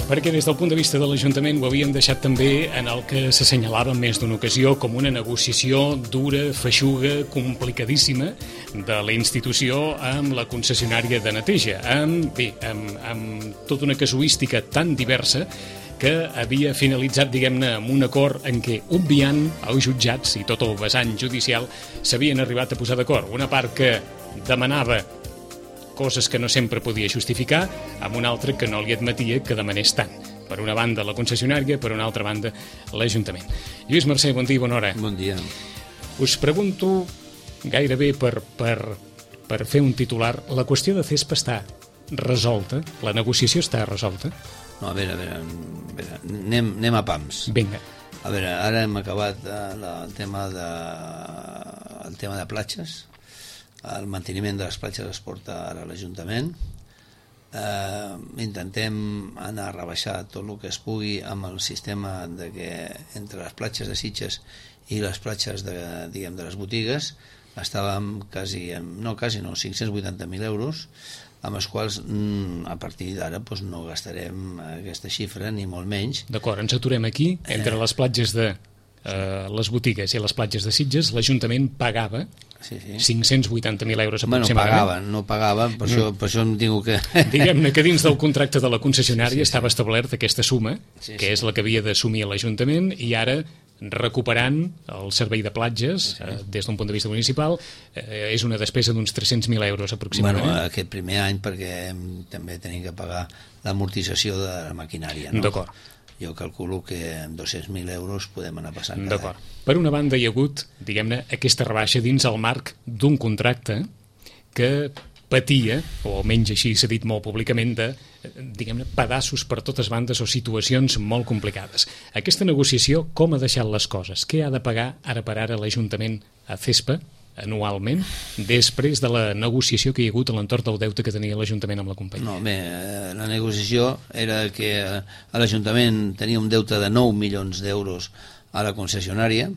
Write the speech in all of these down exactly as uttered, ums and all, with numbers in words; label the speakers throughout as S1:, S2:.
S1: perquè des del punt de vista de l'Ajuntament ho havíem deixat també en el que s'assenyalava en més d'una ocasió com una negociació dura, feixuga, complicadíssima de la institució amb la concessionària de neteja, amb, bé, amb, amb tota una casuística tan diversa que havia finalitzat, diguem-ne, amb un acord en què, obviant els jutjats i tot el vessant judicial, s'havien arribat a posar d'acord. Una part que demanava coses que no sempre podia justificar, amb una altra que no li admetia que demanés tant. Per una banda la concessionària, per una altra banda l'Ajuntament. Lluís Mercè, bon dia i bona hora.
S2: Bon dia.
S1: Us pregunto gairebé per, per, per fer un titular, la qüestió de Cespa està resolta? La negociació està resolta?
S2: No, a veure, a veure, a veure anem, anem a pams.
S1: Vinga.
S2: A veure, ara hem acabat el tema de, el tema de platges. El manteniment de les platges es porta ara a l'Ajuntament. Eh, intentem anar a rebaixar tot el que es pugui amb el sistema de que entre les platges de Sitges i les platges de, diguem, de les botigues estàvem quasi, no quasi, no, cinc-cents vuitanta mil euros, amb els quals a partir d'ara doncs, no gastarem aquesta xifra ni molt menys.
S1: D'acord, ens aturem aquí. Entre les platges de eh, les botigues i les platges de Sitges, l'Ajuntament pagava sí, sí. cinc-cents vuitanta mil euros aproximadament.
S2: Bueno, pagava, no pagava, per, mm. això, per això em digo que...
S1: Diguem-ne que dins del contracte de la concessionària sí, sí, sí. estava establert aquesta suma,
S2: sí,
S1: que
S2: sí.
S1: és la que havia d'assumir l'Ajuntament, i ara, recuperant el servei de platges sí. eh, des d'un punt de vista municipal, eh, és una despesa d'uns tres-cents mil euros aproximadament.
S2: Bueno, aquest primer any perquè també tenim que pagar l'amortització de la maquinària, no?
S1: D'acord.
S2: Jo calculo que amb dos-cents mil euros podem anar passant cada
S1: D'acord. Per una banda hi ha hagut, diguem-ne, aquesta rebaixa dins el marc d'un contracte que patia, o almenys així s'ha dit molt públicament, de, diguem-ne, pedaços per totes bandes o situacions molt complicades. Aquesta negociació, com ha deixat les coses? Què ha de pagar ara per ara l'Ajuntament a Cespa anualment, després de la negociació que hi ha hagut a l'entorn del deute que tenia l'Ajuntament amb la companyia?
S2: No, bé, la negociació era que l'Ajuntament tenia un deute de nou milions d'euros a la concessionària.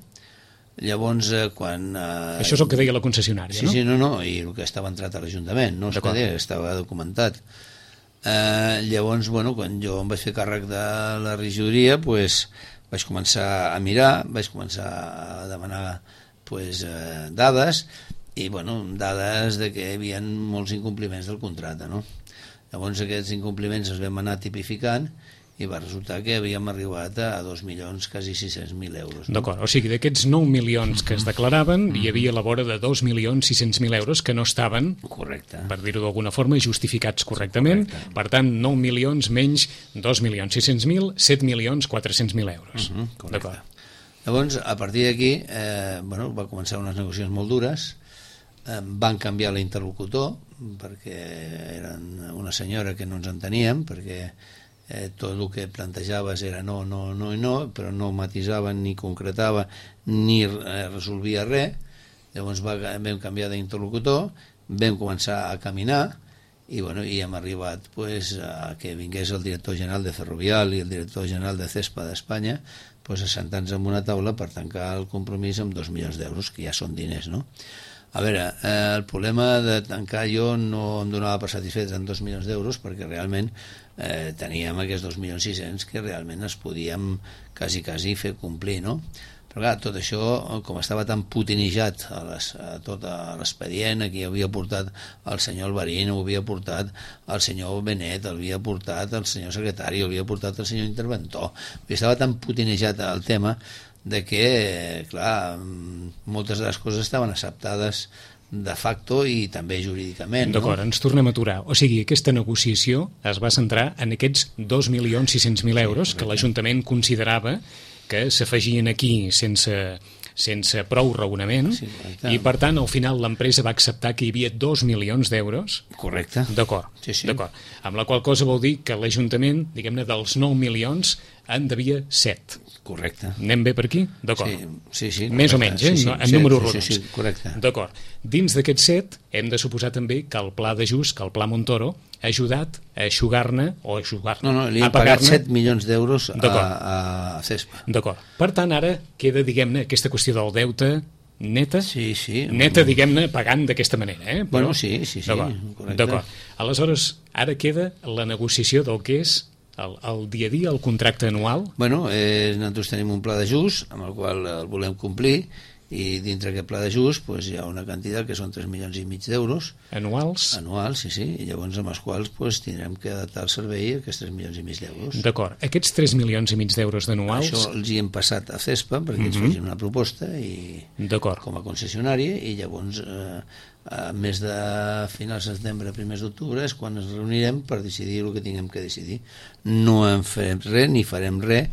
S2: Llavors, quan... Eh,
S1: Això és el que deia la concessionària,
S2: sí,
S1: no?
S2: Sí, no, no, i el que estava entrat a l'Ajuntament, no és que deia, estava documentat. Eh, llavors, bueno, quan jo em vaig fer càrrec de la regidoria, pues, vaig començar a mirar, vaig començar a demanar pues, eh, dades, i bueno, dades de que hi havia molts incompliments del contracte, no? Llavors aquests incompliments els vam anar tipificant i va resultar que havíem arribat a dos milions, quasi sis-cents mil euros. No?
S1: D'acord, o sigui, d'aquests nou milions que es declaraven, mm. hi havia a la vora de dos milions sis-cents mil euros que no estaven,
S2: correcte,
S1: per dir-ho d'alguna forma, justificats correctament. Correcte. Per tant, nou milions menys dos milions sis-cents mil, set milions quatre-cents mil euros.
S2: Mm -hmm, d'acord. Llavors, a partir d'aquí, eh, bueno, va començar unes negociacions molt dures, eh, van canviar l'interlocutor, perquè eren una senyora que no ens enteníem, perquè eh, tot el que plantejaves era no, no, no i no, però no matisava ni concretava ni eh, resolvia res. Llavors va, vam canviar d'interlocutor, vam començar a caminar, i, bueno, i hem arribat pues, a que vingués el director general de Ferrovial i el director general de Cespa d'Espanya pues, a sentar-nos en una taula per tancar el compromís amb dos milions d'euros, que ja són diners, no? A veure, eh, el problema de tancar jo no em donava per satisfet en dos milions d'euros, perquè realment eh, teníem aquests dos milions sis-cents que realment es podíem quasi, quasi fer complir, no? Però clar, tot això, com estava tan putinejat a, les, a tot l'expedient, aquí havia portat el senyor Alvarín, ho havia portat el senyor Benet, el havia portat el senyor secretari, el havia portat el senyor interventor, i estava tan putinejat el tema de que, clar, moltes de les coses estaven acceptades de facto i també jurídicament. No?
S1: D'acord, ens tornem a aturar. O sigui, aquesta negociació es va centrar en aquests dos milions sis-cents mil euros sí, que l'Ajuntament considerava que s'afegien aquí sense, sense prou raonament, sí, i per tant al final l'empresa va acceptar que hi havia dos milions d'euros.
S2: Correcte.
S1: D'acord,
S2: sí, sí.
S1: d'acord. Amb la qual cosa vol dir que l'Ajuntament, diguem-ne, dels nou milions en devia set.
S2: Correcte.
S1: Anem bé per aquí? D'acord.
S2: Sí, sí, sí.
S1: Més o menys, eh?
S2: Sí, sí,
S1: no, en
S2: set,
S1: números
S2: sí,
S1: rodons.
S2: Sí, sí, correcte.
S1: D'acord. Dins d'aquests set hem de suposar també que el pla d'ajust, que el pla Montoro, ha ajudat a eixugar-ne o a eixugar-ne.
S2: No, no, li hem pagat set milions d'euros a, a Cespa.
S1: D'acord. Per tant, ara queda, diguem-ne, aquesta qüestió del deute neta,
S2: sí, sí,
S1: neta, diguem-ne, pagant d'aquesta manera. Eh?
S2: Però, bueno, sí, sí, sí.
S1: D'acord. Aleshores, ara queda la negociació del que és el, el dia a dia, el contracte anual?
S2: Bueno, eh, nosaltres tenim un pla d'ajust amb el qual el volem complir, i dintre d'aquest pla d'ajust pues, hi ha una quantitat que són tres milions i mig d'euros
S1: anuals,
S2: anuals sí, sí, i llavors amb els quals pues, tindrem que adaptar el servei a aquests tres milions i mig d'euros.
S1: D'acord, aquests tres milions i mig d'euros d'anuals...
S2: Això els hi hem passat a CESPA perquè ens uh -huh. facin una proposta i com a concessionària, i llavors eh, a mes de finals de setembre, primers d'octubre és quan ens reunirem per decidir el que tinguem que decidir. No en farem res ni farem res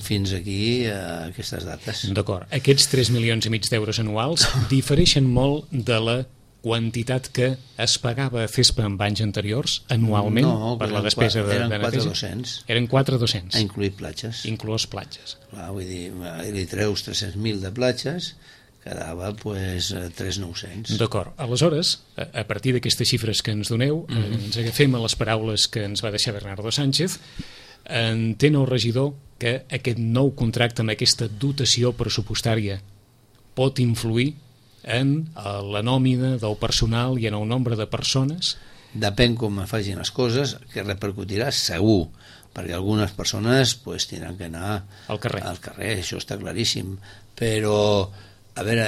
S2: fins aquí a aquestes dates.
S1: D'acord. Aquests tres milions i mig d'euros anuals difereixen molt de la quantitat que es pagava a CESPA en anys anteriors, anualment,
S2: no,
S1: per la despesa de,
S2: eren
S1: de
S2: quatre
S1: neteja?
S2: dos-cents.
S1: Eren quatre dos-cents.
S2: Ha incluït platges.
S1: Inclòs platges.
S2: Clar, vull dir, li treus tres-cents mil de platges, quedava pues, tres mil nou-cents.
S1: D'acord. Aleshores, a, a partir d'aquestes xifres que ens doneu, mm-hmm. eh, ens agafem a les paraules que ens va deixar Bernardo Sánchez. Entén el regidor que aquest nou contracte amb aquesta dotació pressupostària pot influir en la nòmina del personal i en el nombre de persones?
S2: Depèn com facin les coses, que repercutirà segur, perquè algunes persones pues, tindran que anar
S1: al carrer.
S2: al carrer, això està claríssim, però a veure,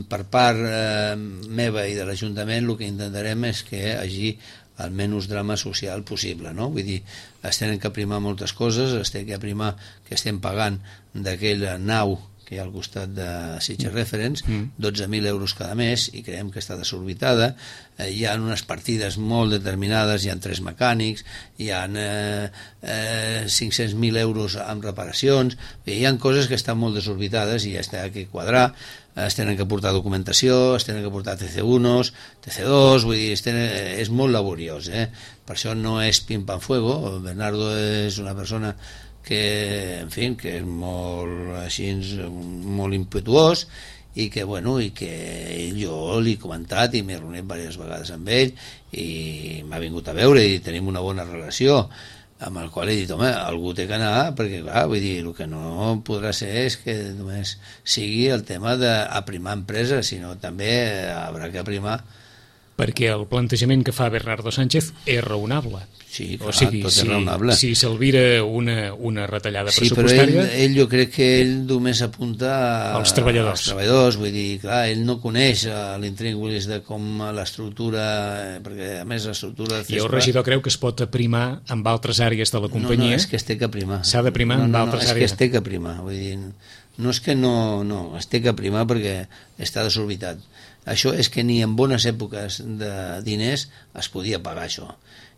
S2: per part eh, meva i de l'Ajuntament el que intentarem és que hi hagi el menys drama social possible, no? Vull dir, es tenen que primar moltes coses, es té que primar que estem pagant d'aquella nau que hi ha al costat de Sitges Reference, dotze mil euros cada mes, i creiem que està desorbitada. Eh, hi ha unes partides molt determinades, hi ha tres mecànics, hi ha eh, eh, cinc-cents mil euros amb reparacions, hi ha coses que estan molt desorbitades i ja està que quadrar, es tenen que portar documentació, es tenen que portar T C unos, T C dos, vull dir, tenen, és molt laboriós, eh? Per això no és pim-pam-fuego. Bernardo és una persona que, en fi, que és molt així, molt impetuós, i que, bueno, i que jo li he comentat i m'he reunit diverses vegades amb ell i m'ha vingut a veure i tenim una bona relació, amb el qual he dit, home, algú té que anar, perquè clar, vull dir, el que no podrà ser és que només sigui el tema d'aprimar empreses, sinó també haurà que aprimar.
S1: Perquè el plantejament que fa Bernardo Sánchez és raonable.
S2: Sí, clar,
S1: o sigui,
S2: tot
S1: si,
S2: és raonable.
S1: Si s'alvira una, una retallada
S2: sí,
S1: pressupostària...
S2: Sí, però ell, ell jo crec que ell només apunta
S1: als treballadors.
S2: als treballadors, vull dir, clar, ell no coneix l'intríngulis de com l'estructura, perquè a més l'estructura...
S1: I el regidor creu que es pot aprimar amb altres àrees de la companyia?
S2: No, no, és que es té que aprimar.
S1: S'ha d'aprimar
S2: no, no,
S1: amb
S2: no,
S1: altres
S2: és
S1: àrees?
S2: És que es té que aprimar, vull dir, no és que no, no, es té que aprimar perquè està desorbitat. Això és que ni en bones èpoques de diners es podia pagar això.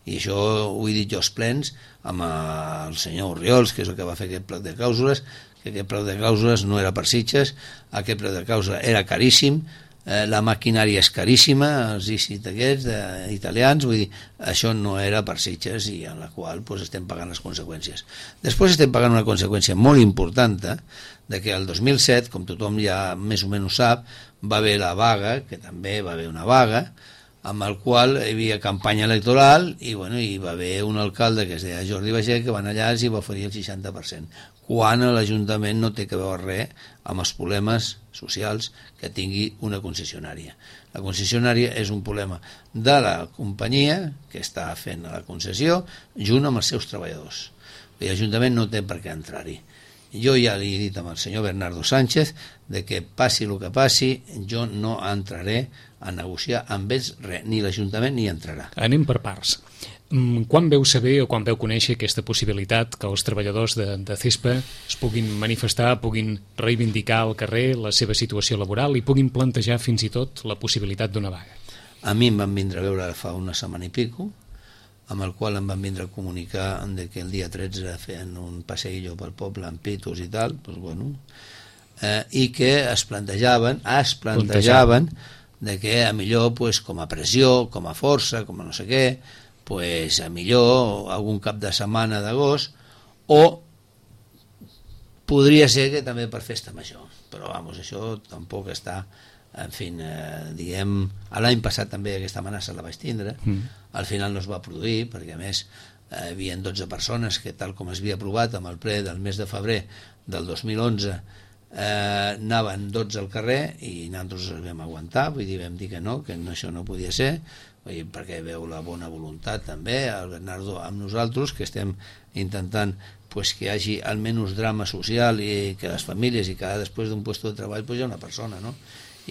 S2: I això ho he dit jo als plens amb el senyor Orriols, que és el que va fer aquest plec de clàusules, que aquest plec de clàusules no era per Sitges, aquest plec de clàusules era caríssim, eh, la maquinària és caríssima, els I C I T aquests eh, italians, vull dir, això no era per Sitges i en la qual pues, estem pagant les conseqüències. Després estem pagant una conseqüència molt important, eh, de que el dos mil set, com tothom ja més o menys sap, va haver la vaga, que també va haver una vaga, amb el qual hi havia campanya electoral i, bueno, hi va haver un alcalde que es deia Jordi Baiget que van allà i va oferir el seixanta per cent, quan l'Ajuntament no té que veure res amb els problemes socials que tingui una concessionària. La concessionària és un problema de la companyia que està fent la concessió junt amb els seus treballadors. L'Ajuntament no té per què entrar-hi. Jo ja li he dit amb el senyor Bernardo Sánchez de que passi el que passi, jo no entraré a negociar amb ells res, ni l'Ajuntament ni entrarà.
S1: Anem per parts. Quan veu saber o quan veu conèixer aquesta possibilitat que els treballadors de, de CESPA es puguin manifestar, puguin reivindicar al carrer la seva situació laboral i puguin plantejar fins i tot la possibilitat d'una vaga?
S2: A mi em van vindre a veure fa una setmana i pico, amb el qual em van vindre a comunicar de que el dia tretze feien un passeillo pel poble amb pitos i tal, doncs bueno, eh, i que es plantejaven, es plantejaven de que a millor pues, com a pressió, com a força, com a no sé què, pues, a millor algun cap de setmana d'agost, o podria ser que també per festa major, però vamos, això tampoc està... En fi, eh, diguem, l'any passat també aquesta amenaça la vaig tindre, mm. al final no es va produir, perquè a més eh, hi havia dotze persones que tal com es havia aprovat amb el ple del mes de febrer del dos mil onze eh, anaven dotze al carrer i nosaltres els vam aguantar, vull dir, vam dir que no, que no, això no podia ser, vull dir, perquè veu la bona voluntat també, el Bernardo amb nosaltres, que estem intentant pues, que hi hagi almenys drama social i que les famílies, i que després d'un lloc de treball pues, hi ha una persona, no?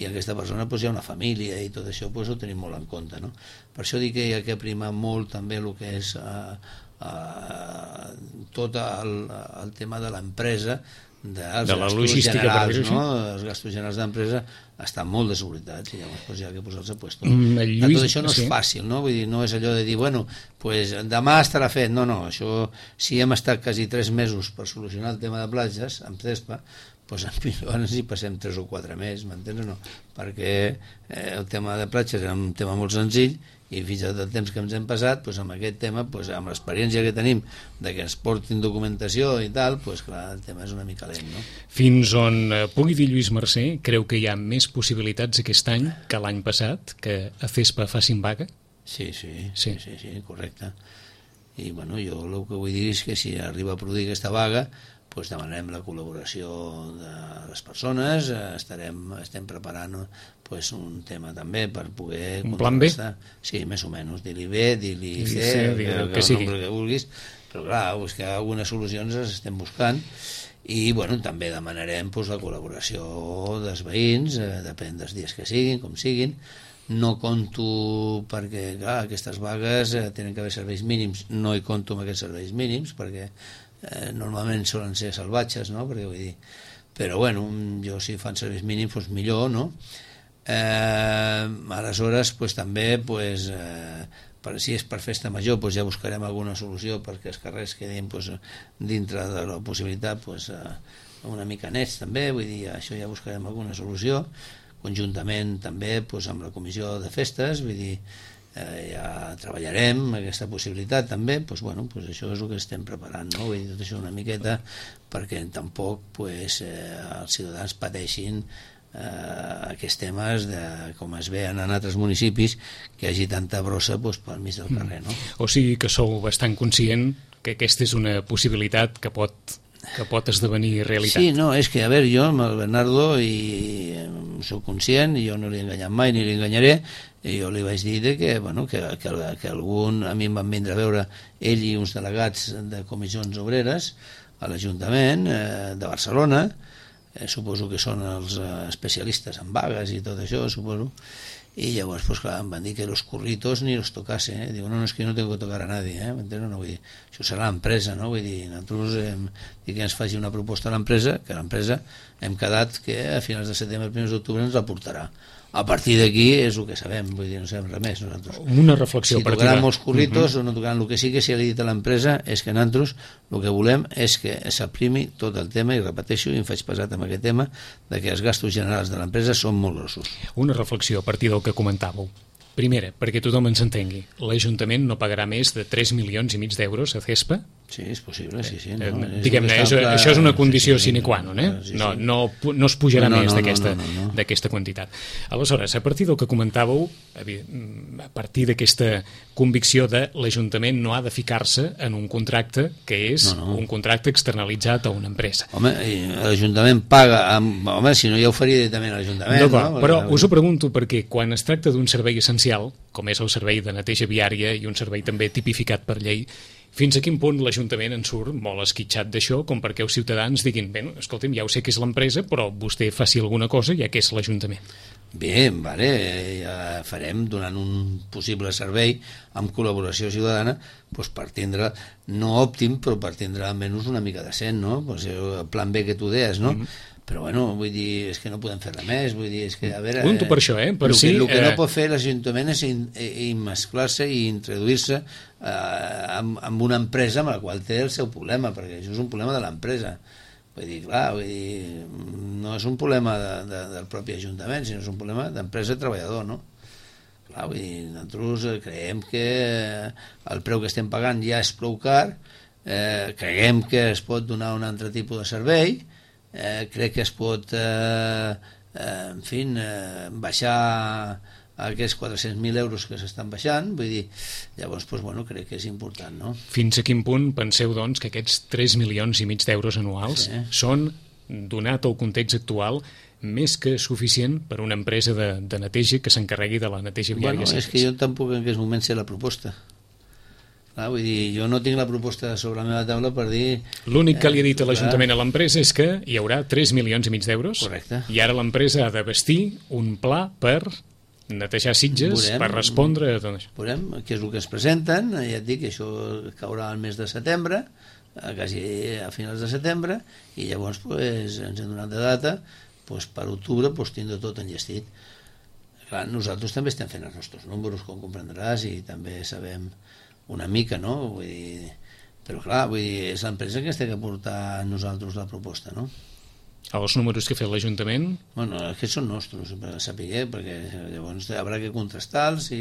S2: I aquesta persona pues, hi ha una família i tot això pues, ho tenim molt en compte, no? Per això dic que hi ha que primar molt també el que és uh, uh, tot el, el tema de l'empresa, dels
S1: de la
S2: gastos generals,
S1: per
S2: no? Els gastos generals d'empresa estan molt desorientats i llavors pues, hi ha que posar-se a puesto.
S1: Mm, Lluís,
S2: tot això no
S1: sí.
S2: és fàcil, no? Vull dir, no és allò de dir, bueno, pues, demà estarà fet. No, no, això, si hem estat quasi tres mesos per solucionar el tema de platges amb Cespa, doncs ens hi passem tres o quatre més, m'entens o no? Perquè eh, el tema de platges era un tema molt senzill i fins al temps que ens hem passat, doncs amb aquest tema, doncs amb l'experiència que tenim de que ens portin documentació i tal, doncs clar, el tema és una mica lent, no?
S1: Fins on eh, pugui dir Lluís Mercè, creu que hi ha més possibilitats aquest any que l'any passat, que a Cespa facin vaga?
S2: Sí, sí,
S1: sí,
S2: sí, sí, sí, correcte. I bueno, jo el que vull dir és que si arriba a produir aquesta vaga, pues demanarem la col·laboració de les persones, estarem, estem preparant pues, un tema també per poder...
S1: Un plan B?
S2: Sí, més o menys, dir-li B, dir-li C,
S1: C,
S2: que,
S1: que,
S2: que,
S1: que sigui.
S2: el nombre que vulguis, però clar, pues, que algunes solucions les estem buscant i bueno, també demanarem pues, la col·laboració dels veïns, eh, depèn dels dies que siguin, com siguin. No compto perquè, clar, aquestes vagues eh, tenen que haver serveis mínims, no hi compto amb aquests serveis mínims perquè Eh, normalment solen ser salvatges, no? Perquè vull dir, però bueno, jo si fan serveis mínims doncs millor, no? Eh, aleshores pues, també pues, eh, per, si és per festa major pues, ja buscarem alguna solució perquè els carrers quedin pues, dintre de la possibilitat pues, eh, una mica nets també, vull dir, això ja buscarem alguna solució conjuntament també pues, amb la comissió de festes, vull dir, Eh, ja treballarem aquesta possibilitat també, doncs, bueno, doncs això és el que estem preparant, no? Vull dir, tot això una miqueta perquè tampoc pues, eh, els ciutadans pateixin eh, aquests temes de com es veuen en altres municipis que hi hagi tanta brossa pues, pel mig del carrer, no?
S1: O sigui que sou bastant conscient que aquesta és una possibilitat que pot que pot esdevenir realitat.
S2: Sí, no, és que, a veure, jo amb el Bernardo i soc conscient, i jo no l'he enganyat mai ni l'enganyaré, i jo li vaig dir de que, bueno, que, que, que algun, a mi em van vindre a veure ell i uns delegats de comissions obreres a l'Ajuntament eh, de Barcelona, eh, suposo que són els eh, especialistes en vagues i tot això, suposo, i llavors, pues clar, em van dir que los curritos ni los tocase, eh? Digo, no, no, es que no tengo que tocar a nadie, eh? ¿M'entens? No, vull dir, això serà l'empresa, no? Vull dir, nosaltres hem dit que ens faci una proposta a l'empresa, que l'empresa hem quedat que a finals de setembre, primers d'octubre ens la portarà. A partir d'aquí és el que sabem, vull dir, no sabem res més nosaltres.
S1: Una reflexió
S2: si
S1: per
S2: tocaran
S1: tirar.
S2: molts curritos
S1: uh-huh.
S2: o no tocaran el que sí que si ha dit a l'empresa és que nosaltres el que volem és que s'aprimi tot el tema, i repeteixo i em faig pesat amb aquest tema, de que els gastos generals de l'empresa són molt grossos.
S1: Una reflexió a partir del que comentàveu. Primera, perquè tothom ens entengui, l'Ajuntament no pagarà més de tres milions i mig d'euros a Cespa?
S2: Sí, és possible, sí, sí. No,
S1: eh, Diguem-ne, és, això és una condició sí, sí, sine qua non, eh? Sí, sí. No, no, no es pujarà no, no, més no, d'aquesta no, no, no, no. quantitat. Aleshores, a partir del que comentàveu, a partir d'aquesta convicció de l'Ajuntament no ha de ficar-se en un contracte que és no, no. un contracte externalitzat a una empresa.
S2: Home, l'Ajuntament paga, amb... home, si no ja ho faria directament a l'Ajuntament.
S1: D'acord,
S2: no?
S1: però us ho pregunto perquè quan es tracta d'un servei essencial, com és el servei de neteja viària i un servei també tipificat per llei, fins a quin punt l'Ajuntament en surt molt esquitxat d'això, com perquè els ciutadans diguin, bé, escolta'm, ja ho sé que és l'empresa, però vostè faci alguna cosa ja que és l'Ajuntament.
S2: Bé, vale, ja farem donant un possible servei amb col·laboració ciutadana doncs per tindre, no òptim, però per tindre almenys una mica decent, no? Pues el plan B que tu deies, no? Mm-hmm. Però bueno, vull dir, és que no podem fer res més, vull dir, és que, a veure...
S1: Punto per això, eh? Per
S2: el,
S1: si,
S2: que, el que
S1: eh...
S2: no pot fer l'Ajuntament és immesclar-se i introduir-se eh, amb, amb una empresa amb la qual té el seu problema, perquè això és un problema de l'empresa. Vull dir, clar, vull dir, no és un problema de, de, del propi Ajuntament, sinó és un problema d'empresa i treballador, no? Clar, vull dir, nosaltres creiem que el preu que estem pagant ja és prou car, eh, creiem que es pot donar un altre tipus de servei, Eh, crec que es pot eh, eh, en fi eh, baixar aquests quatre-cents mil euros que s'estan baixant, vull dir, llavors doncs, bueno, crec que és important, no?
S1: Fins a quin punt penseu doncs que aquests tres milions i mig d'euros anuals sí. són donat el context actual, més que suficient per una empresa de, de neteja que s'encarregui de la neteja viària.
S2: Bueno, és que jo tampoc en aquest moment sé la proposta. Clar, vull dir, jo no tinc la proposta sobre la meva taula per dir...
S1: L'únic que li ha dit a l'Ajuntament a l'empresa és que hi haurà tres milions i mig d'euros.
S2: Correcte.
S1: I ara l'empresa ha de vestir un pla per netejar Sitges, veurem, per respondre a tot això.
S2: Veurem què és el que es presenten. Ja et dic que això caurà al mes de setembre, quasi a finals de setembre, i llavors pues, ens hem donat de data pues, per octubre pues, tindre tot enllestit. Clar, nosaltres també estem fent els nostres números, com comprendràs, i també sabem una mica, no? Vull dir, però clar, vull dir, és l'empresa que ens té que portar a nosaltres la proposta, no?
S1: Els números que ha fet l'Ajuntament?
S2: Bueno, aquests són nostres, per saber, perquè llavors haurà que contrastar-los, si,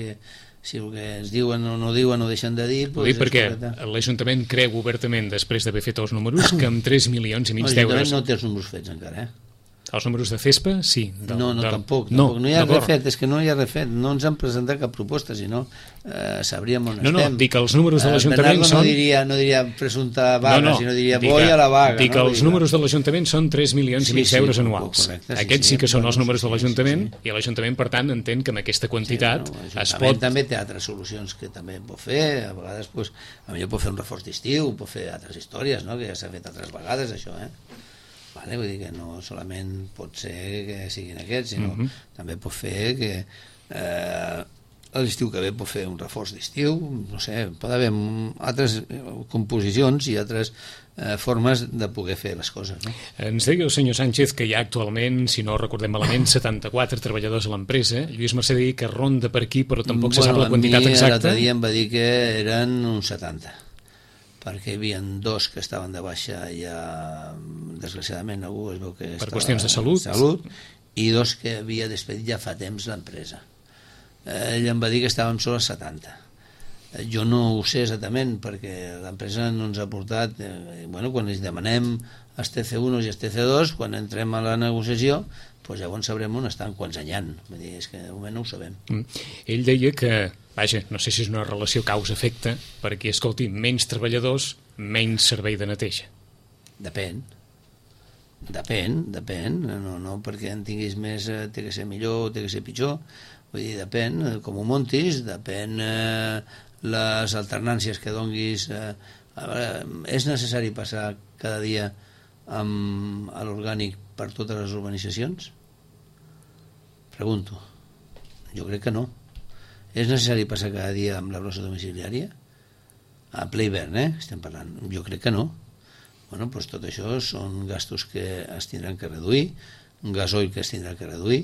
S2: si el que ens diuen o no diuen o deixen de dir...
S1: Pues, perquè l'Ajuntament creu obertament, després d'haver fet els números, que amb tres milions i mig d'euros...
S2: L'Ajuntament no té els números fets encara, eh?
S1: Els números de CESPA, sí.
S2: Del, no, no, del... tampoc, tampoc. No, no hi ha res fet, és que no hi ha res fet. No ens han presentat cap proposta, si no eh, sabríem on
S1: no,
S2: estem.
S1: No, dic que els números de l'Ajuntament
S2: eh,
S1: són...
S2: no diria, no diria presumpta vaga, no, no, sinó diria voy a la vaga.
S1: Dic que
S2: no?
S1: els números de l'Ajuntament són tres milions
S2: sí,
S1: i mig
S2: sí,
S1: d'euros
S2: sí,
S1: anuals.
S2: Correcte, sí,
S1: Aquests sí, sí que són els números
S2: sí,
S1: de l'Ajuntament,
S2: sí, sí.
S1: I l'Ajuntament, per tant, entén que amb aquesta quantitat
S2: sí, no,
S1: es pot...
S2: també té altres solucions que també pot fer, a vegades pues, a millor pot fer un reforç d'estiu, pot fer altres històries, no? Que ja s'ha fet altres vegades, això, eh? Vale, vull dir que no solament pot ser que siguin aquests, sinó uh-huh. també pot fer que eh, a l'estiu que ve pot fer un reforç d'estiu, no sé, pot haver altres composicions i altres eh, formes de poder fer les coses, no?
S1: Ens deia el senyor Sánchez que hi ha actualment, si no recordem malament, setanta-quatre treballadors a l'empresa. Lluís Mercè deia que ronda per aquí, però tampoc bueno, se sap la quantitat exacta.
S2: L'altre dia em va dir que eren uns setanta, perquè hi havia dos que estaven de baixa ja, desgraciadament algú es veu que
S1: per qüestions de salut.
S2: salut i dos que havia despedit ja fa temps l'empresa. Ell em va dir que estàvem sobre setanta. Jo no ho sé exactament perquè l'empresa no ens ha portat eh, bueno, quan ens demanem els T C u i els T C dos, quan entrem a la negociació pues llavors sabrem on estan, quants any hi ha. Vull dir, és que de moment no ho sabem.
S1: Mm. Ell deia que, vaja, no sé si és una relació causa-efecte, perquè, escolti, menys treballadors, menys servei de neteja.
S2: Depèn. Depèn, depèn. No, no perquè en tinguis més eh, té que ser millor o té que ser pitjor. Vull dir, depèn eh, com ho montis, depèn eh, les alternàncies que donguis. Eh, a veure, és necessari passar cada dia amb l'orgànic per totes les urbanitzacions? Pregunto. Jo crec que no. És necessari passar cada dia amb la brossa domiciliària? A ple hivern, eh? Estem parlant. Jo crec que no. Bueno, doncs tot això són gastos que es tindran que reduir, un gasoil que es tindrà que reduir,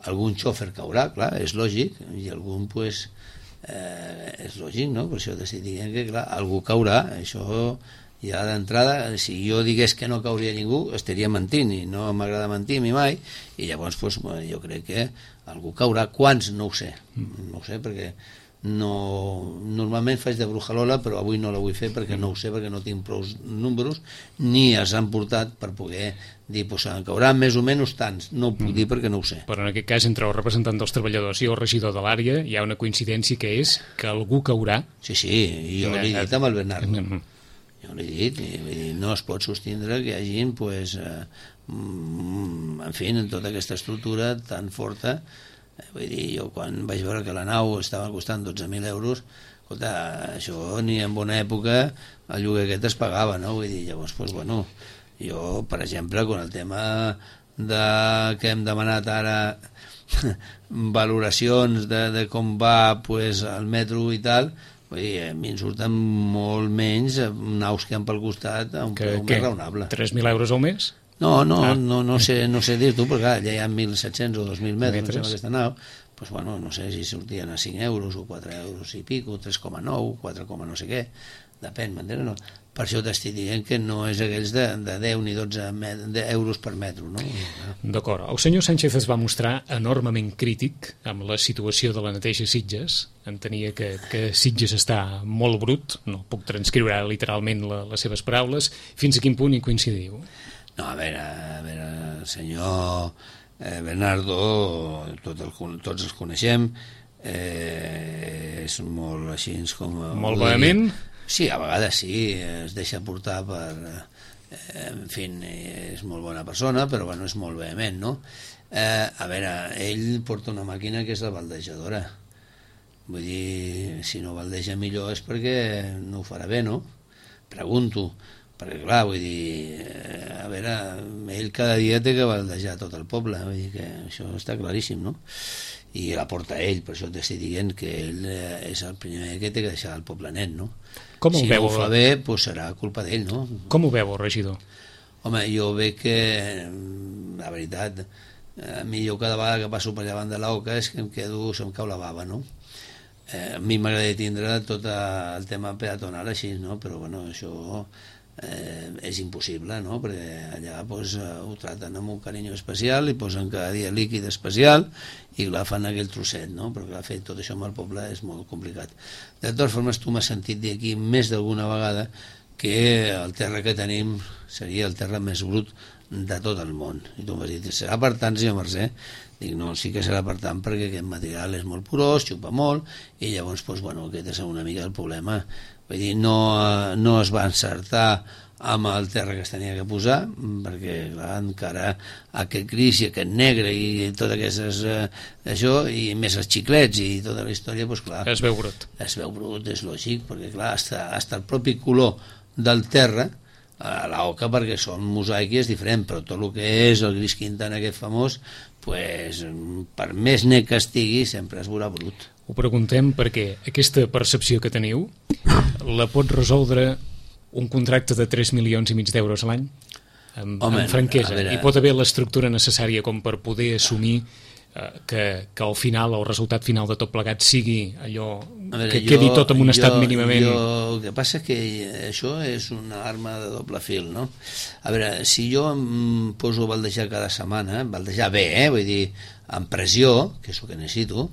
S2: algun xòfer caurà, clar, és lògic, i algun, pues, eh, és lògic, no? Per això t'estic dient que, clar, algú caurà, això ja d'entrada, si jo digués que no cauria ningú, estaria mentint, i no m'agrada mentir a mi mai, i llavors, pues, jo crec que algú caurà. Quants? No ho sé, no ho sé, perquè no, normalment faig de brujalola, però avui no la vull fer perquè no ho sé, perquè no tinc prou números ni els han portat per poder dir, pues, en cauran més o menys tants, no ho puc dir perquè no ho sé.
S1: Però en aquest cas, entre el representant dels treballadors i el regidor de l'àrea hi ha una coincidència que és que algú caurà.
S2: Sí, sí, jo l'he dit amb el Bernardo, jo l'he dit, i no es pot sostindre que hi hagi, pues, eh, en fi, en tota aquesta estructura tan forta. Vull dir, jo quan vaig veure que la nau estava costant dotze mil euros, escolta, això ni en bona època el lloguer aquest es pagava, no? Vull dir, llavors, pues, bueno, jo, per exemple, con el tema de que hem demanat ara valoracions de, de com va, pues, el metro i tal, vull dir, a mi em surten molt menys naus que han pel costat a un
S1: que,
S2: preu
S1: que,
S2: més raonable.
S1: tres mil euros al mes?
S2: No, no, ah. no, no sé, no sé dir-t'ho, perquè allà hi ha mil set-cents o dos mil metres, metres. Aquesta nau, pues, bueno, no sé si sortien a cinc euros o quatre euros i pico, tres coma nou, quatre, no sé què, depèn, m'entens? No? Per això t'estic dient que no és aquells de, de deu ni dotze euros per metro, no?
S1: D'acord. El senyor Sánchez es va mostrar enormement crític amb la situació de la neteja Sitges. Entenia que, que Sitges està molt brut, no puc transcriure literalment la, les seves paraules. Fins a quin punt hi coincidiu?
S2: No, a veure, a veure, el senyor eh, Bernardo, tot el, tots els coneixem, eh, és molt així com...
S1: Molt vehement?
S2: Sí, a vegades sí, es deixa portar per... en fi, és molt bona persona, però bueno, és molt vehement, no? Eh, a veure, ell porta una màquina que és la baldejadora. Vull dir, si no baldeja millor és perquè no ho farà bé, no? Pregunto, perquè clar, vull dir, eh, a veure, ell cada dia té que baldejar tot el poble, vull dir que això està claríssim, no? I la porta ell, per això t'estic dient que ell eh, és el primer que té que deixar el poble net, no?
S1: Com ho
S2: si
S1: veu?
S2: no ho fa bé, doncs serà culpa d'ell, no?
S1: Com ho veu, regidor?
S2: Home, jo veig que, la veritat, a mi jo cada vegada que passo per davant de l'Oca és que em quedo, se'm cau la bava, no? Eh, a mi m'agradaria tindre tot el tema peatonal així, no? Però bueno, això eh, és impossible, no? Perquè allà pues, ho traten amb un carinyo especial i posen cada dia líquid especial i clar, fan aquell trosset, no? Però clar, fer tot això amb el poble és molt complicat. De totes formes, tu m'has sentit dir aquí més d'alguna vegada que el terra que tenim seria el terra més brut de tot el món. I tu m'has dit, serà per tant, senyor Mercè? Dic, no, sí que serà per tant perquè aquest material és molt porós, xupa molt, i llavors, doncs, bueno, aquest és una mica el problema. Vull dir, no, no es va encertar amb el terra que es tenia que posar, perquè, clar, encara aquest gris i aquest negre i tot aquestes, eh, això, i més els xiclets i tota la història, doncs, clar...
S1: Es veu brut.
S2: Es veu brut, és lògic, perquè, clar, hasta, hasta el propi color del terra, a l'oca, perquè són mosaic i és diferent, però tot el que és el gris quintant aquest famós, pues, per més net que estigui sempre es veurà brut.
S1: Ho preguntem perquè aquesta percepció que teniu la pot resoldre un contracte de tres milions i mig d'euros a l'any? Amb,
S2: Home,
S1: amb franquesa.
S2: veure...
S1: Hi pot haver l'estructura necessària com per poder assumir eh, que, que al final, el resultat final de tot plegat sigui allò veure, que quedi jo, tot en un jo, estat mínimament...
S2: Jo, el que passa és que això és una arma de doble fil, no? A veure, si jo em poso a baldejar cada setmana, baldejar bé, eh? Vull dir, amb pressió, que és el que necessito,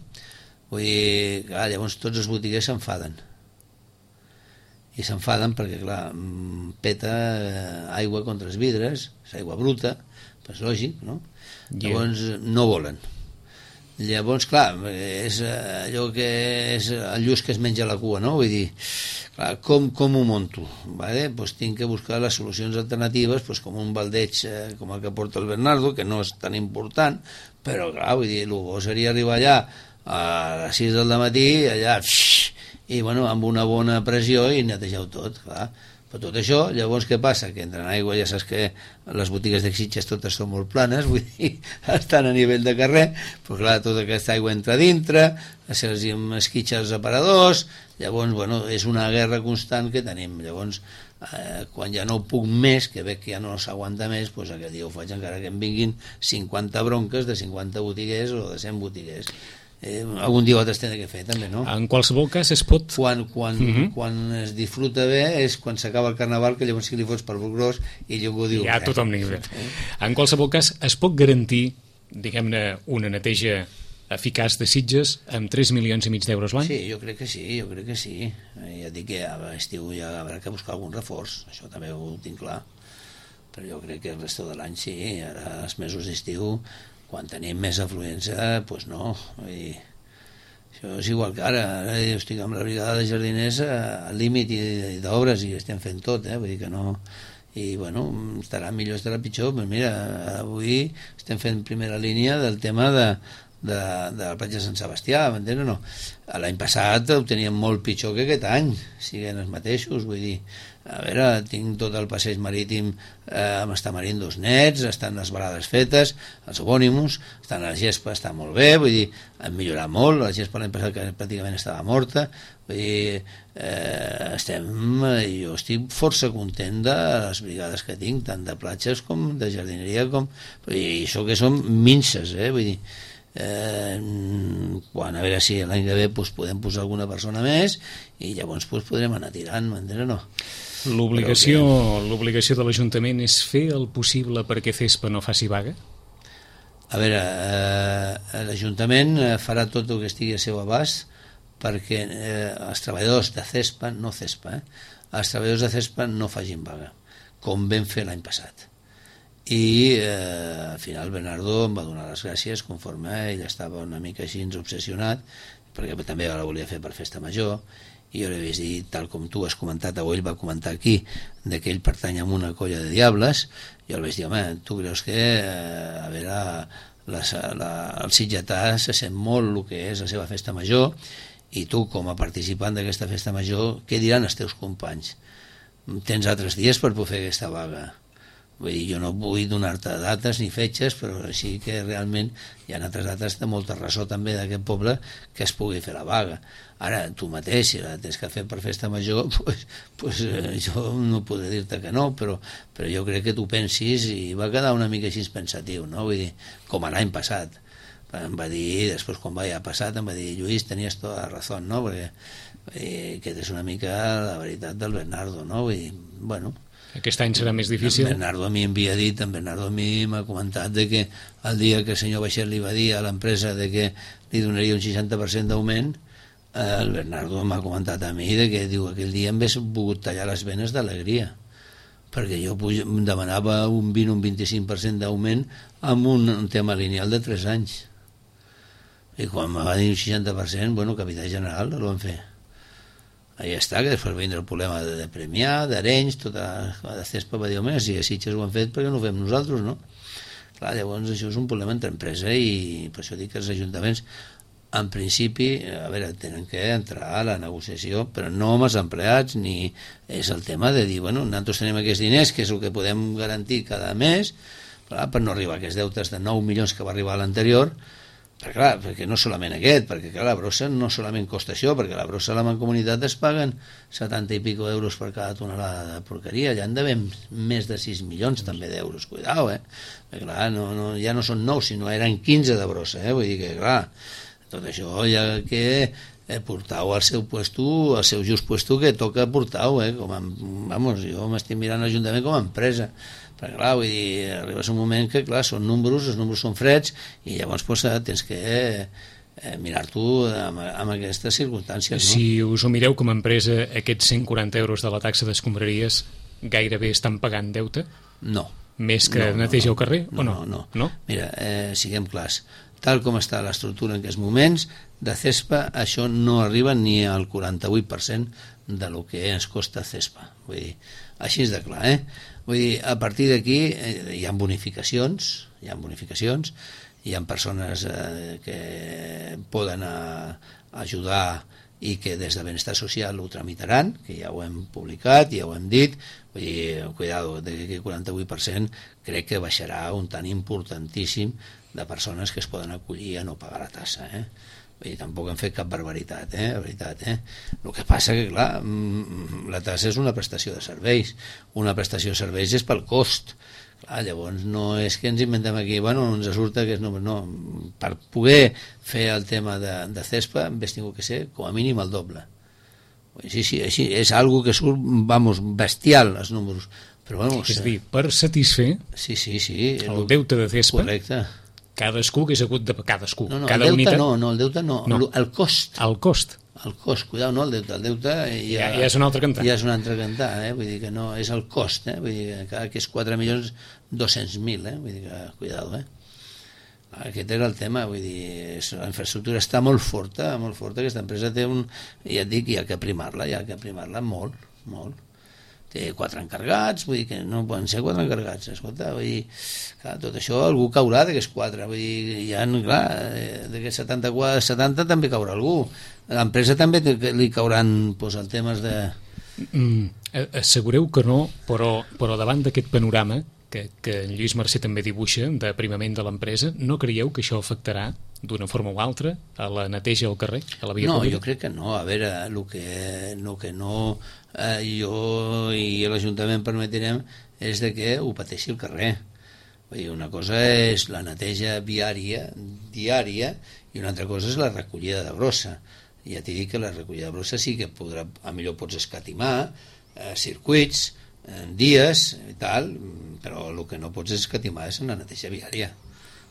S2: vull dir, clar, llavors tots els botiguers s'enfaden. I s'enfaden perquè, clar, peta aigua contra els vidres, és aigua bruta, és lògic, no? Yeah. Llavors no volen. Llavors, clar, és allò que és el lluç que es menja la cua, no? Vull dir, clar, com, com ho monto? Vale? Pues tinc que buscar les solucions alternatives, pues com un baldeig eh, com el que porta el Bernardo, que no és tan important, però, clar, vull dir, el bo seria arribar allà a les sis del matí, allà... Xxxt, i bueno, amb una bona pressió i netejeu tot, clar. Però tot això, llavors què passa? Que entra en aigua, ja saps que les botigues de Sitges totes són molt planes, vull dir, estan a nivell de carrer, però clar, tota aquesta aigua entra dintre, se'ls esquitxa els aparadors, llavors, bueno, és una guerra constant que tenim. Llavors, eh, quan ja no puc més, que veig que ja no s'aguanta més, doncs aquest dia ho faig encara que em vinguin cinquanta bronques de cinquanta botiguers o de cent botiguers. Eh, algun dia ho has de fer també, no?
S1: En qualsevol cas es pot...
S2: Quan, quan, uh -huh. quan es disfruta bé és quan s'acaba el carnaval, que llavors sí que li fots per gros i ningú diu
S1: ja
S2: res.
S1: Tothom n'hi ve. En qualsevol cas es pot garantir, diguem-ne, una neteja eficaç de Sitges amb tres milions i mig d'euros l'any?
S2: Sí, jo crec que sí, jo crec que sí. Ja et dic que a l'estiu ja haurà que buscar algun reforç, això també ho tinc clar, però jo crec que el resto de l'any sí, ara els mesos d'estiu quan tenim més afluència, doncs no. Vull dir, això és igual que ara. Ara jo estic amb la brigada de jardiners al límit d'obres i estem fent tot, eh? Vull dir que no... I, bueno, estarà millor, estarà pitjor, però mira, avui estem fent primera línia del tema de, de, de la platja de Sant Sebastià, m'entens o no? L'any passat ho teníem molt pitjor que aquest any, siguen els mateixos, vull dir, a veure, tinc tot el passeig marítim eh, amb els tamarindos nets, estan les balades fetes, els homònimus, estan a la gespa, està molt bé, vull dir, han millorat molt, la gespa l'any passat que pràcticament estava morta, vull dir, eh, estem, jo estic força content de les brigades que tinc, tant de platges com de jardineria, com, vull dir, això que són minces, eh, vull dir, Eh, quan a veure si l'any que ve pues, podem posar alguna persona més i llavors pues, podrem anar tirant, m'entens o no?
S1: L'obligació que... l'obligació de l'Ajuntament és fer el possible perquè CESPA no faci vaga?
S2: A veure, eh, l'Ajuntament farà tot el que estigui a seu abast perquè eh, els treballadors de CESPA, no CESPA, eh, els treballadors de CESPA no facin vaga, com vam fer l'any passat. I eh, al final Bernardo em va donar les gràcies conforme ell estava una mica així obsessionat perquè també la volia fer per festa major, i jo li vaig dir, tal com tu has comentat, o ell va comentar aquí, que ell pertany a una colla de diables, jo li vaig dir, home, tu creus que, eh, a veure, la, la, el sitgetà se sent molt el que és la seva festa major, i tu, com a participant d'aquesta festa major, què diran els teus companys? Tens altres dies per poder fer aquesta vaga. Vull dir, jo no vull donar-te dates ni fetges, però sí que realment hi ha altres dates de molta raó també d'aquest poble que es pugui fer la vaga. Ara, tu mateix, si la tens que fer per festa major, pues, pues, eh, jo no podré dir-te que no, però, però jo crec que tu pensis, i va quedar una mica així pensatiu, no? Vull dir, com l'any passat. Em va dir, després quan va ja passat, em va dir, Lluís, tenies tota la raó, no? Perquè eh, que és una mica la veritat del Bernardo, no? Vull dir, bueno...
S1: Aquest any serà més difícil?
S2: En Bernardo a mi em havia dit, en Bernardo a mi m'ha comentat de que el dia que el senyor Baixet li va dir a l'empresa de que li donaria un seixanta per cent d'augment, el Bernardo m'ha comentat a mi de que diu aquell dia em hagués pogut tallar les venes d'alegria, perquè jo em demanava un vint o un vint-i-cinc per cent d'augment amb un, un tema lineal de tres anys. I quan em va dir un seixanta per cent, bueno, capità general, el van fer. Ahí està, que després va vindre el problema de, de Premià, d'Arenys, tota la Cespa va dir, home, si a Sitges ho han fet, perquè no ho fem nosaltres, no? Clar, llavors això és un problema entre empresa i per això dic que els ajuntaments, en principi, a veure, tenen que entrar a la negociació, però no amb els empleats, ni és el tema de dir, bueno, nosaltres tenim aquests diners, que és el que podem garantir cada mes, clar, per no arribar a aquests deutes de nou milions que va arribar a l'anterior, perquè, clar, perquè no solament aquest, perquè clar, la brossa no solament costa això, perquè la brossa a la mancomunitat es paguen setanta i pico euros per cada tonelada de porqueria, ja en devem més de sis milions també d'euros, cuidao, eh? Perquè, clar, no, no, ja no són nou, sinó eren quinze de brossa, eh? Vull dir que, clar, tot això ja que eh, portau al seu puesto, al seu just puesto que toca portau, eh? Com a, vamos, jo m'estic mirant l'Ajuntament com a empresa, perquè clar, vull dir, arribes un moment que clar, són números, els números són freds i llavors pues, tens que eh, mirar-t'ho amb, amb aquestes circumstàncies, no?
S1: Si us ho mireu com a empresa, aquests cent quaranta euros de la taxa d'escombraries gairebé estan pagant deute?
S2: No.
S1: Més que
S2: no,
S1: neteja
S2: no,
S1: el carrer?
S2: No,
S1: o no?
S2: no, no.
S1: no?
S2: Mira, eh, siguem clars, tal com està l'estructura en aquests moments, de Cespa això no arriba ni al quaranta-vuit per cent de lo que ens costa Cespa. Vull dir, així és de clar, eh? Vull dir, a partir d'aquí eh, hi ha bonificacions, hi ha bonificacions, hi ha persones eh, que poden a, ajudar i que des de Benestar Social ho tramitaran, que ja ho hem publicat, ja ho hem dit, vull dir, cuidado, d'aquest quaranta-vuit per cent crec que baixarà un tant importantíssim de persones que es poden acollir a no pagar la tassa, eh? Vull dir, tampoc hem fet cap barbaritat, eh? La veritat, eh? El que passa que, clar, la tassa és una prestació de serveis, una prestació de serveis és pel cost, clar, llavors no és que ens inventem aquí, bueno, ens surt aquest número, no, per poder fer el tema de, de Cespa hauria tingut que ser com a mínim el doble. Sí, sí, així, és algo que surt, vamos, bestial, els números. Però, bueno,
S1: és a dir, per satisfer
S2: sí, sí, sí,
S1: el deute de Cespa,
S2: correcte,
S1: cadascú que és hagut de cadascú,
S2: no, no,
S1: cada
S2: el deute
S1: unitat...
S2: no, no, el deute no,
S1: no.
S2: el cost.
S1: El cost.
S2: El cost, cuidao, no el deute, el deute ja,
S1: ja, ja és un altre cantar.
S2: Ja és un altre cantar, eh? Vull dir que no, és el cost, eh? Vull dir que cada que és quatre milions dos-cents mil, eh? Vull dir que, cuidao, eh? Aquest era el tema, vull dir, la infraestructura està molt forta, molt forta, aquesta empresa té un, ja et dic, hi ha que primar-la, hi ha que primar-la molt, molt. Té quatre encarregats, vull dir que no poden ser quatre encarregats, escolta, vull dir, clar, tot això algú caurà d'aquests quatre, vull dir, hi ha, clar, d'aquests setanta-quatre, setanta també caurà algú, l'empresa també li cauran pues, el temes de...
S1: Mm, assegureu que no, però, però davant d'aquest panorama que, que en Lluís Mercè també dibuixa d'aprimament de l'empresa, no creieu que això afectarà d'una forma o altra a la neteja al carrer, a la via
S2: no,
S1: pública?
S2: Jo crec que no, a veure, el que, el que no eh, jo i l'Ajuntament permetirem és de que ho pateixi el carrer. Vull dir, una cosa és la neteja viària, diària, i una altra cosa és la recollida de brossa. Ja t'he dit que la recollida de brossa sí que podrà, a millor pots escatimar eh, circuits, eh, dies i tal, però el que no pots escatimar és en la neteja viària.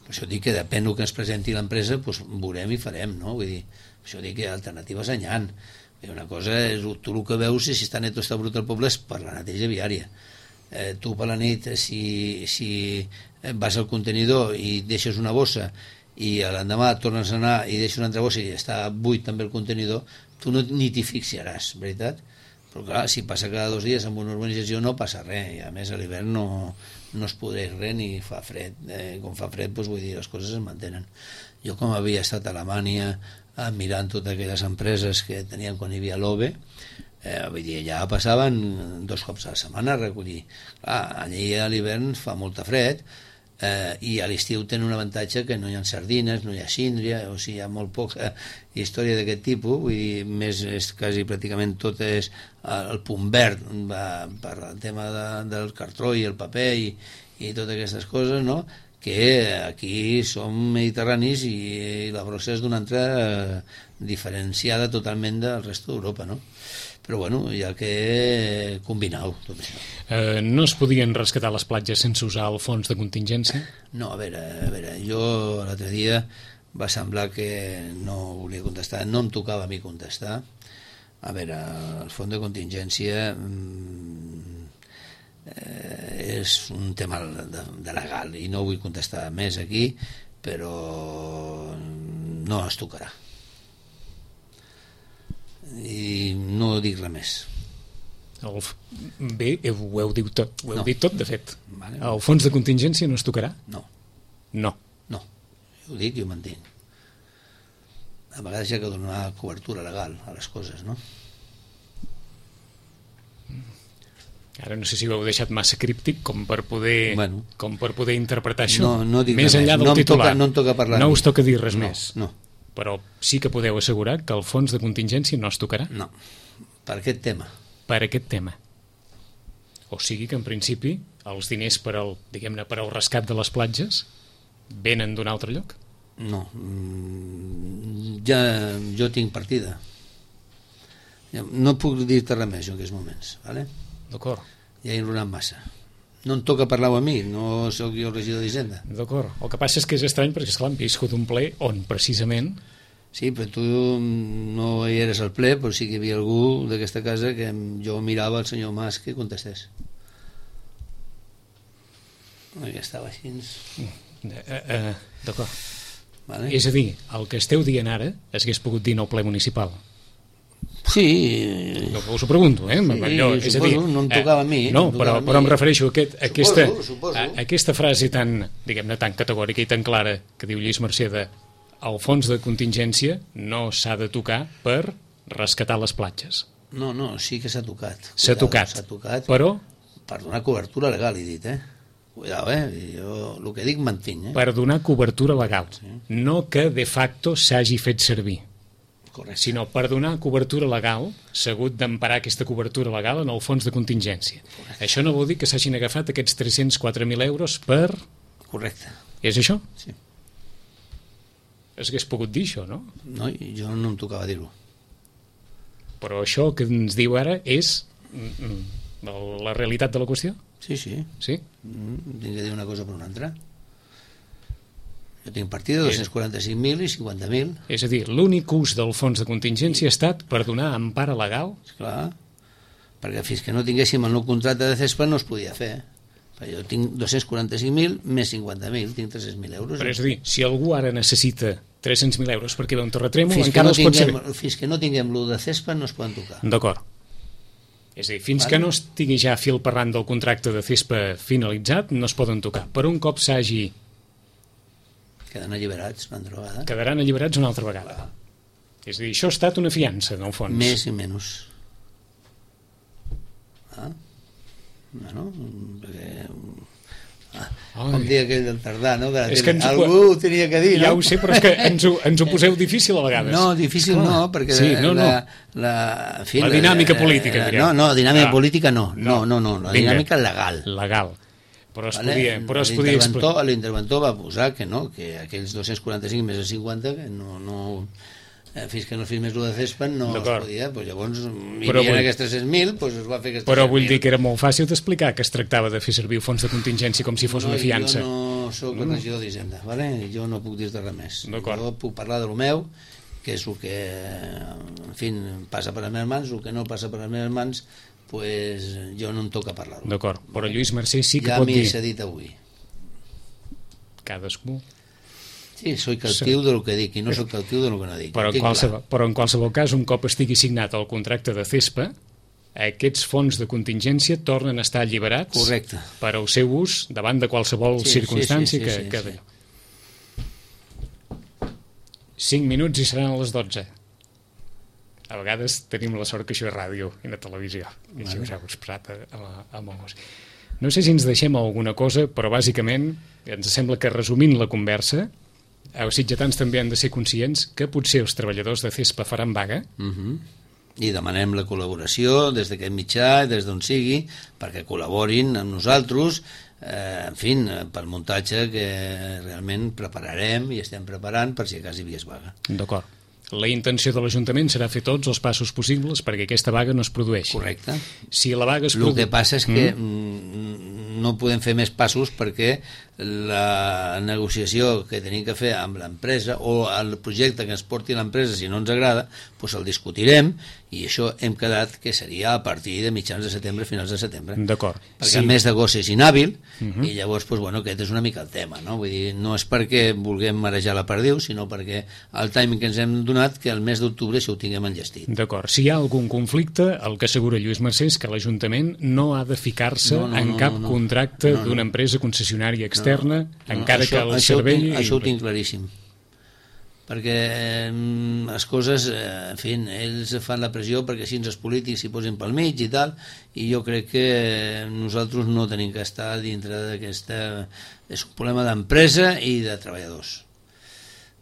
S2: Per això dic que depèn del que ens presenti l'empresa, doncs veurem i farem, no? Vull dir, per això dic que alternatives n'hi ha. Una cosa és, tu el que veus si està net o està brut el poble és per la neteja viària. Eh, tu per la nit, si, si vas al contenidor i deixes una bossa i l'endemà tornes a anar i deixes una altra bossa i està buit també el contenidor, tu no, ni t'hi fixaràs, veritat? Però clar, si passa cada dos dies en una urbanització no passa res, i a més a l'hivern no, no es podreix res ni fa fred, eh, com fa fred doncs vull dir, les coses es mantenen. Jo com havia estat a Alemanya eh, mirant totes aquelles empreses que tenien quan hi havia l'O B E, eh, vull dir, allà passaven dos cops a la setmana a recollir. Clar, allà a l'hivern fa molta fred, eh, i a l'estiu tenen un avantatge que no hi ha sardines, no hi ha síndria, o sigui, hi ha molt poca història d'aquest tipus, vull dir, més és quasi pràcticament tot és el punt verd va, per el tema de, del cartró i el paper i, i totes aquestes coses, no?, que aquí som mediterranis i la brossa és d'una altra eh, diferenciada totalment del resto d'Europa, no? Però bueno, ja que combinau tot això.
S1: Eh, no es podien rescatar les platges sense usar el fons de contingència?
S2: No, a veure, a veure, jo l'altre dia va semblar que no volia contestar, no em tocava a mi contestar. A veure, el fons de contingència mmm, eh, és un tema de, de legal i no vull contestar més aquí, però no es tocarà. I no dic res més.
S1: El, bé, ho heu dit tot, ho heu
S2: no.
S1: dit tot, de fet.
S2: Vale.
S1: El fons de contingència no es tocarà?
S2: No.
S1: No.
S2: No. Jo ho dic i ho mantinc. A vegades hi ha que donar cobertura legal a les coses, no?
S1: Ara no sé si ho heu deixat massa críptic com per poder,
S2: bueno,
S1: com per poder interpretar això.
S2: No, no dic
S1: més enllà del
S2: no
S1: titular.
S2: Toca, no em toca parlar.
S1: No us toca dir res
S2: no,
S1: més.
S2: No.
S1: Però sí que podeu assegurar que el fons de contingència no es tocarà?
S2: No. Per aquest tema.
S1: Per aquest tema. O sigui que en principi els diners per al, diguem-ne, per al rescat de les platges venen d'un altre lloc?
S2: No. Ja jo tinc partida. No puc dir-te res més en aquests moments, vale?
S1: D'acord.
S2: Ja he enronat massa. No em toca parlar a mi, no sóc jo el regidor d'Hisenda.
S1: D'acord. El que passa és que és estrany perquè, esclar, hem viscut un ple on precisament...
S2: Sí, però tu no hi eres al ple, però sí que hi havia algú d'aquesta casa que jo mirava el senyor Mas que contestés. Que estava així.
S1: Uh, uh, D'acord.
S2: Vale.
S1: És a dir, el que esteu dient ara es hagués pogut dir en el ple municipal.
S2: Sí.
S1: No, us ho pregunto, eh?
S2: Sí,
S1: Allò, és
S2: suposo,
S1: a dir,
S2: no em tocava a mi.
S1: No,
S2: no em
S1: però,
S2: a mi.
S1: però em refereixo a, aquest, a, aquesta,
S2: suposo, suposo.
S1: a, a aquesta frase tan, diguem-ne, tan categòrica i tan clara que diu Lluís Mercè de el fons de contingència no s'ha de tocar per rescatar les platges.
S2: No, no, sí que s'ha tocat.
S1: S'ha tocat,
S2: s'ha tocat,
S1: però...
S2: Per donar cobertura legal, he dit, eh? Cuidao, eh? Jo el que dic mantinc, eh?
S1: Per donar cobertura legal,
S2: sí.
S1: No que de facto s'hagi fet servir.
S2: Correcte.
S1: Sinó per donar cobertura legal s'ha hagut d'emparar aquesta cobertura legal en el fons de contingència. Correcte. Això no vol dir que s'hagin agafat aquests tres-cents quatre mil euros per...
S2: Correcte.
S1: És això?
S2: Sí.
S1: Es hagués pogut dir això, no?
S2: No, jo no em tocava dir-ho.
S1: Però això que ens diu ara és la realitat de la qüestió?
S2: Sí, sí.
S1: Sí?
S2: Mm, tinc que dir una cosa per una altra. Jo tinc partida de dos-cents quaranta-cinc mil i cinquanta mil.
S1: És a dir, l'únic ús del fons de contingència ha estat per donar empara legal?
S2: Esclar, perquè fins que no tinguéssim el nou contracte de CESPA no es podia fer. Perquè jo tinc dos-cents quaranta-cinc mil més cinquanta mil, tinc tres-cents mil euros.
S1: Però és a dir, si algú ara necessita tres-cents mil euros perquè ve un terratrèmol,
S2: fins
S1: encara
S2: no
S1: els pot
S2: tinguem,
S1: saber.
S2: Fins que no tinguem lo de CESPA no es poden tocar.
S1: D'acord. És a dir, fins
S2: vale.
S1: Que no estigui ja fil parlant del contracte de CESPA finalitzat, no es poden tocar. Per un cop s'hagi...
S2: Queden alliberats una altra vegada.
S1: Quedaran alliberats una altra vegada. Ah. És a dir, això ha estat una fiança, en el fons.
S2: Més i menys. Ah? Bueno, perquè... Ah, com dia aquell del tardà, no? De
S1: és que ens
S2: algú
S1: ho...
S2: ho tenia que dir, no?
S1: Ja ho sé, però és que ens ho, ens ho poseu difícil a vegades.
S2: No, difícil
S1: Esclar.
S2: no, perquè
S1: sí, no, no.
S2: La, la, en fi,
S1: la dinàmica
S2: la,
S1: política, direm.
S2: No, no, dinàmica
S1: ah,
S2: política no, no, no, no, la
S1: vinga.
S2: dinàmica legal.
S1: Legal. Però es
S2: vale?
S1: podia, però es podia
S2: explicar. L'interventor va posar que no, que aquells dos-cents quaranta-cinc més el cinquanta, que no... no eh, fins que no fes més el de CESPA no es podia, doncs llavors hi havia aquests tres-cents mil, doncs es va fer aquests
S1: però vull dir que era molt fàcil d'explicar que es tractava de fer servir el fons de contingència com si fos
S2: no,
S1: una fiança.
S2: Jo no soc el regidor d'Hisenda, vale? Jo no puc dir-te res més.
S1: Jo
S2: puc parlar de lo meu, que és el que en fi, passa per les meves mans, el que no passa per les meves mans pues jo no em toca parlar-ho.
S1: D'acord, però Lluís Mercé sí que
S2: ja
S1: pot dir...
S2: Ja m'hi he cedit avui.
S1: Cadascú...
S2: Sí, soy cautiu sí. de lo que dic i no soc cautiu de lo que no dic.
S1: Però en, qualsevol, però en qualsevol cas, un cop estigui signat el contracte de CESPA, aquests fons de contingència tornen a estar alliberats
S2: Correcte.
S1: per al seu ús davant de qualsevol sí, circumstància sí, sí, sí, que...
S2: sí,
S1: que... Sí. cinc minuts i seran a les dotze. A vegades tenim la sort que això és ràdio i no televisió. I això us heu expressat a molts. No sé si ens deixem alguna cosa, però bàsicament ens sembla que resumint la conversa, els sitgetans també han de ser conscients que potser els treballadors de CESPA faran vaga.
S2: Uh-huh. I demanem la col·laboració des d'aquest mitjà, des d'on sigui, perquè col·laborin amb nosaltres, eh, en fi, pel muntatge que realment prepararem i estem preparant per si a cas hi hagués vaga.
S1: D'acord. La intenció de l'Ajuntament serà fer tots els passos possibles perquè aquesta vaga no es produeixi.
S2: Correcte.
S1: Si la vaga es
S2: produ... El que passa és que mm. no podem fer més passos perquè la negociació que tenim que fer amb l'empresa o el projecte que ens porti l'empresa, si no ens agrada, doncs el discutirem i això hem quedat que seria a partir de mitjans de setembre, finals de setembre.
S1: D'acord.
S2: Perquè sí. El mes d'agost és inhàbil uh-huh. i llavors, doncs, bueno, aquest és una mica el tema, no? Vull dir, no és perquè vulguem marejar la perdiu, sinó perquè el timing que ens hem donat que el mes d'octubre això ho tinguem enllestit.
S1: D'acord. Si hi ha algun conflicte, el que assegura Lluís Mercè és que l'Ajuntament no ha de ficar-se no, no, en no, cap no, no. contracte no, no. d'una empresa concessionària externa, no, no, encara això, que el
S2: això
S1: servei...
S2: Ho tinc, això ho tinc claríssim. Perquè eh, les coses, eh, en fi, ells fan la pressió perquè així els polítics s'hi posin pel mig i tal, i jo crec que nosaltres no tenim que estar dintre d'aquesta... És un problema d'empresa i de treballadors.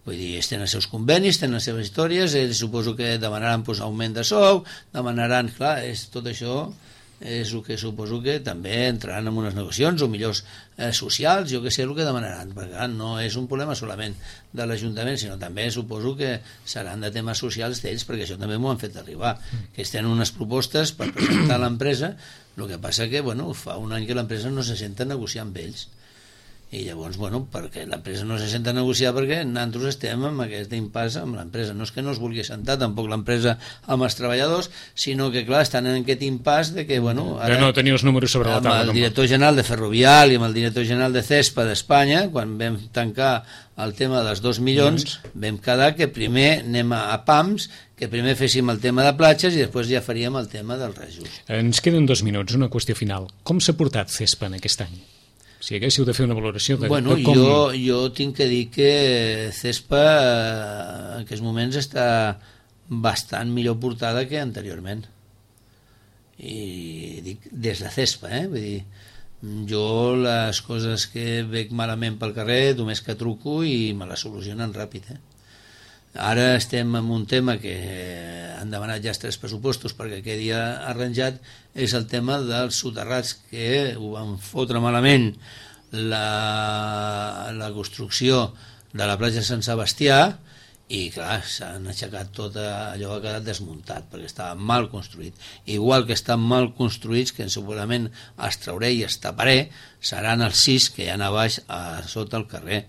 S2: Vull dir, ells tenen els seus convenis, tenen les seves històries, ells suposo que demanaran pues, augment de sou, demanaran, clar, és tot això... és el que suposo que també entraran en unes negociacions o millors eh, socials, jo que sé el que demanaran, perquè no és un problema solament de l'Ajuntament, sinó també suposo que seran de temes socials d'ells, perquè això també m'ho han fet arribar, que ells tenen unes propostes per presentar a l'empresa, el que passa que, bueno, fa un any que l'empresa no se senta a negociar amb ells. I llavors, bueno, perquè l'empresa no se senta a negociar perquè nosaltres estem amb aquest impàs amb l'empresa. No és que no es vulgui sentar tampoc l'empresa amb els treballadors, sinó que, clar, estan en aquest impàs de que, bueno...
S1: Ara, de no tenir els números sobre la taula.
S2: Amb el director general de Ferrovial i amb el director general de CESPA d'Espanya, quan vam tancar el tema dels dos milions, mm. vam quedar que primer anem a P A M S, que primer féssim el tema de platges i després ja faríem el tema dels reajust.
S1: Ens queden dos minuts, una qüestió final. Com s'ha portat CESPA en aquest any? Si haguéssiu de fer una valoració de,
S2: bueno,
S1: de com...
S2: Jo, jo tinc que dir que CESPA en aquests moments està bastant millor portada que anteriorment. I dic des de CESPA, eh? Vull dir, jo les coses que veig malament pel carrer només que truco i me les solucionen ràpid, eh? Ara estem en un tema que han demanat ja els tres pressupostos perquè quedi arranjat, és el tema dels soterrats que ho van fotre malament la, la construcció de la platja de Sant Sebastià i clar, s'han aixecat tot allò que ha quedat desmuntat perquè estava mal construït. Igual que estan mal construïts, que segurament els trauré i els taparé, seran els sis que hi ha a baix a sota el carrer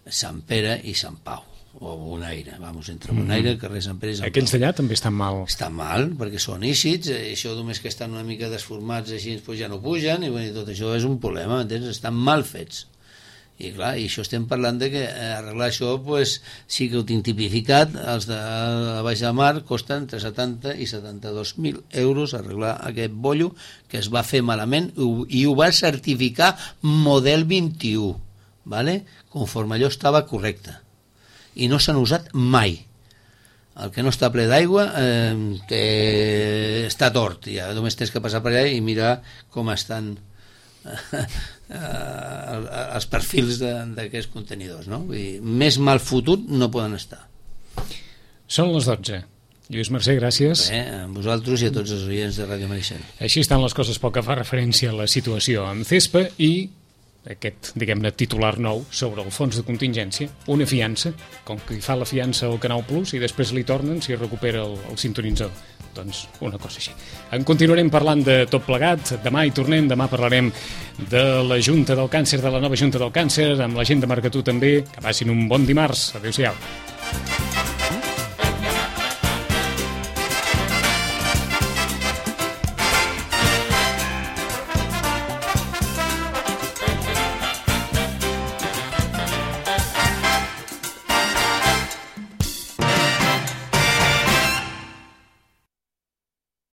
S2: Sant Pere i Sant Pau, o Bonaire, vamos, entre Bonaire, el carrer Sant Pere i Sant Pau.
S1: Aquells d'allà també estan mal.
S2: Estan mal, perquè són ícids, això només que estan una mica desformats així, doncs ja no pugen, i bueno, tot això és un problema, entens? Estan mal fets. I clar, i això estem parlant de que arreglar això, pues, sí que ho tinc tipificat, els de Baix de Mar costen entre setanta i setanta-dos mil euros arreglar aquest bollo que es va fer malament i ho va certificar model vint-i-u, ¿vale? Conforme allò estava correcte. I no s'han usat mai. El que no està ple d'aigua eh, té, està tort, ja només tens que passar per allà i mirar com estan eh, els perfils d'aquests contenidors, no? Vull dir, més mal fotut no poden estar.
S1: Són les dotze. Lluís Mercè, gràcies.
S2: Bé, a vosaltres i a tots els oients de Ràdio Maricel.
S1: Així estan les coses pel que fa referència a la situació amb CESPA i aquest, diguem-ne, titular nou sobre el fons de contingència, una fiança, com que fa la fiança al Canal Plus i després li tornen si recupera el, el sintonitzador. Doncs una cosa així. En continuarem parlant de tot plegat, demà hi tornem, demà parlarem de la Junta del Càncer, de la nova Junta del Càncer, amb la gent de Marcatú també, que passin un bon dimarts. Adéu-siau.